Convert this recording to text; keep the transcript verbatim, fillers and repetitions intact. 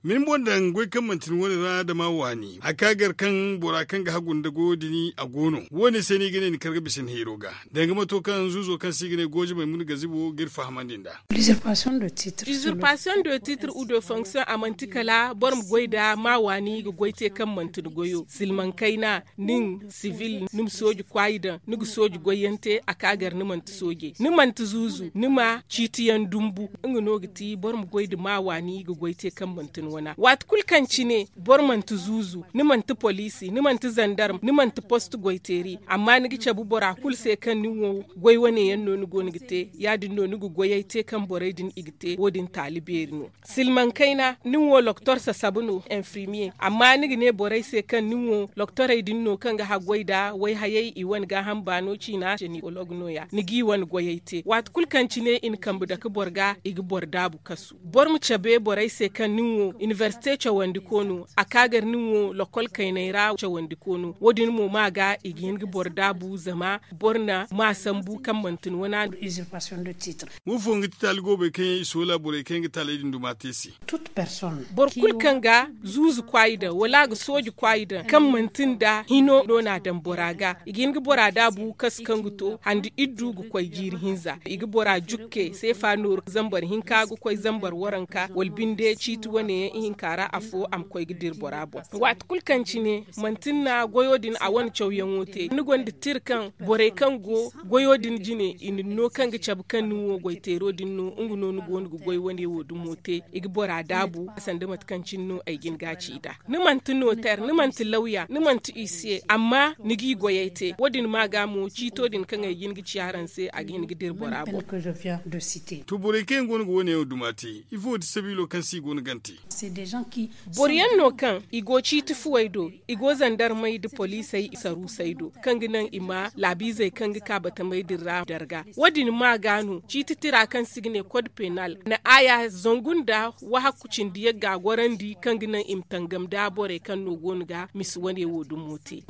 Min boŋ daŋ goy kaŋ manti ni wane ra dama waani a ka gar kaŋ bora kaŋ ga hagu nda goyo din a go no. Wo- ne se no i ga ne ni kar ga bisa ni hayro ga danga mato kaŋ zuuzo kaŋ se i ga ne gooje maymuna gazibo ga iri fahamandi nd'a. Usurpation de titre ou de fonction a manti kala boro ma goy nda ma waani ga goy te kaŋ manti ni goyo silmaŋ kayna, nin sivil ni ma sooji kwaayi daŋ ni ga sooji goy yaŋ te a ka gar ni manti sooje ni manti zuuzu ni ma ciiti yaŋ dumbu. Nga no ga ti boro ma goy nda ma waani ga goy te kaŋ manti ni wana waati kulu kaŋ cine boro manti zuuzu ni manti poliisi ni manti zandarm ni manti post goyteeri amma ni ga cabe bora kulu se kaŋ nin wo goy wane yaŋ no ni go no ga te ya- din no ni ga goyey te kaŋ borey din i ga te wo- din taali beeri no. Silmaŋ kayna nin wo loktor sasabu no enfirmiye amma ni ga ne borey se kaŋ nin wo loktorey din no kaŋ ga haggoy nda wayhayey i wane gaaham baano ciina senikolog no- ya ni g'i wane goyey te waati kulu kaŋ cine i na kambe dake boro ga i ga boro daabu kasu. Boro ma cabe borey se kaŋ nin wo inibersite cawandiko no a ka gar nin wo lokol kayney ra cawandiko no wo- din mo ma ga i ga hin ga boro daabu zama boro na ma sambu kaŋ manti ni wana no. Wo fo nga ti taali goobey kaŋ yaŋ i soola borey kaŋ yaŋ ga taaley din duma te se. Boro kulu kaŋ ga zuuzu kwaayi daŋ wala a ga sooji kwaayi daŋ kaŋ manti nda hino no no a daŋ bora ga i ga hin ga bora daabu kasu kaŋ ga to handi iddu ga koy jiiri hinza i ga bora jukke seefa nooru zambar hinka ga koy zambar waranka wala binde ciiti wane yaŋ ihinka ra afo a ma koy ga dira bora boŋ. Waati kulu kaŋ cine manti ni na goyo din a wane cawyaŋo te ni gonda tira kaŋ borey kaŋ go goyo din jine i na ni no kaŋ ga cabe kaŋ nin wo goyteero din no nga no ni go no ga goy wane wo dumo te i ga bora daabu sanda mate kaŋ cine no ay ga ni ga ci nd'a. Ni manti noter ni manti lawya ni manti isiye amma ni g'i goyey te wo- din ma ga mo ciito din kaŋ ay ga hin ga ci araŋ se a ga hin ga dira bora boŋ. To borey kaŋ yaŋ go no ga wo- ne yaŋ duma te ifo ti sabiilo kaŋ se i go no g'a te? Boro yaŋ no kaŋ i go ciiti fuwey do i go zandarmey nda poliisey saruusey do kaŋ ga naŋ i ma laabiizey kaŋ ga ka batamey din ra darga wo- din ma ga no ciiti tira kaŋ se i ga ne kod penal na aaya zangu nda wahakku cindi yagga gorandi kaŋ ga naŋ i ma tangam nda borey kaŋ no go no ga misi wane wo dumo te.